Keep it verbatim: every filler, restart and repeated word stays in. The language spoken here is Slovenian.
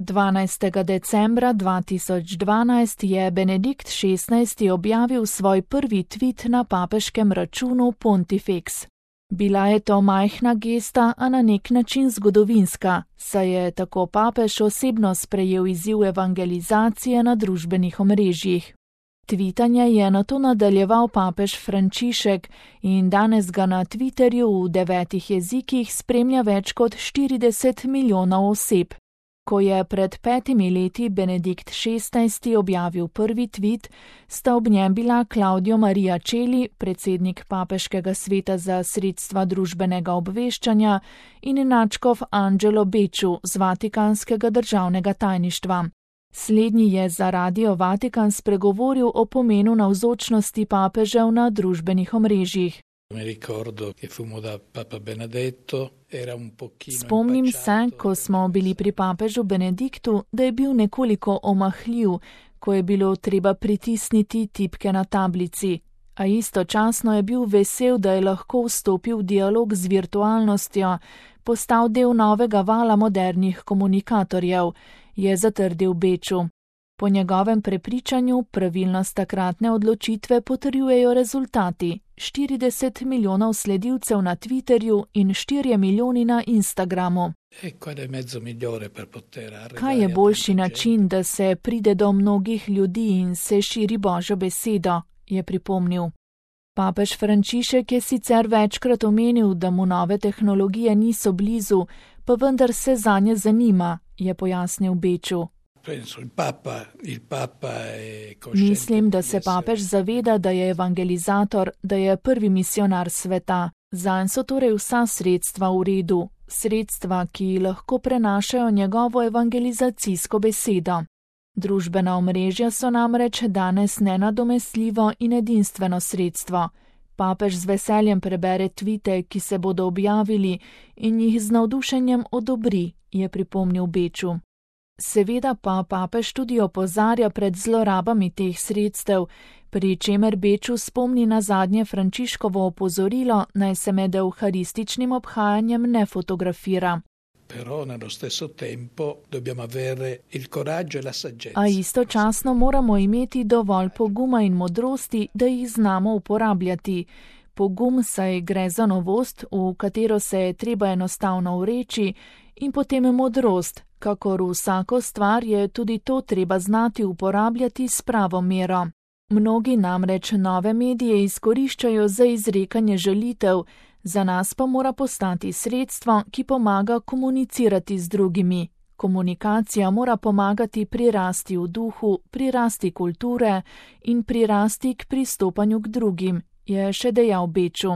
dvanajstega decembra dva tisoč dvanajst je Benedikt šestnajsti objavil svoj prvi tvit na papeškem računu Pontifex. Bila je to majhna gesta, a na nek način zgodovinska, saj je tako papež osebno sprejel izziv evangelizacije na družbenih omrežjih. Tvitanje je nato nadaljeval papež Frančišek in danes ga na Twitterju v devetih jezikih spremlja več kot štirideset milijonov oseb. Ko je pred petimi leti Benedikt šestnajsti objavil prvi tvit, sta ob njem bila Claudio Maria Celli, predsednik papeškega sveta za sredstva družbenega obveščanja, in nadškof Angelo Becciu z Vatikanskega državnega tajništva. Slednji je za Radio Vatikan spregovoril o pomenu navzočnosti papežev na družbenih omrežjih. Spomnim se, ko smo bili pri papežu Benediktu, da je bil nekoliko omahljiv, ko je bilo treba pritisniti tipke na tablici, a istočasno je bil vesel, da je lahko vstopil v dialog z virtualnostjo, postal del novega vala modernih komunikatorjev, je zatrdil Becciu. Po njegovem prepričanju pravilnost takratne odločitve potrjujejo rezultati: štirideset milijonov sledilcev na Twitterju in štirje milijoni na Instagramu. Kaj je boljši način, da se pride do mnogih ljudi in se širi Božjo besedo, je pripomnil. Papež Frančišek je sicer večkrat omenil, da mu nove tehnologije niso blizu, pa vendar se zanje zanima, je pojasnil Becciu. Mislim, da se papež zaveda, da je evangelizator, da je prvi misionar sveta. Zanj so torej vsa sredstva v redu, sredstva, ki lahko prenašajo njegovo evangelizacijsko besedo. Družbena omrežja so namreč danes nenadomestljivo in edinstveno sredstvo. Papež z veseljem prebere tvite, ki se bodo objavili, in jih z navdušenjem odobri, je pripomnil Becciu. Seveda pa papež tudi opozarja pred zlorabami teh sredstev, pri čemer Becciu spomni na zadnje Frančiškovo opozorilo, naj se med evharističnim obhajanjem ne fotografira. A istočasno moramo imeti dovolj poguma in modrosti, da jih znamo uporabljati. Pogum, saj gre za novost, v katero se je treba enostavno vreči, in potem modrost, kakor vsako stvar je tudi to treba znati uporabljati s pravo mero. Mnogi namreč nove medije izkoriščajo za izrekanje žalitev, za nas pa mora postati sredstvo, ki pomaga komunicirati z drugimi. Komunikacija mora pomagati pri rasti v duhu, pri rasti kulture in pri rasti k pristopanju k drugim, je še dejal Becciu.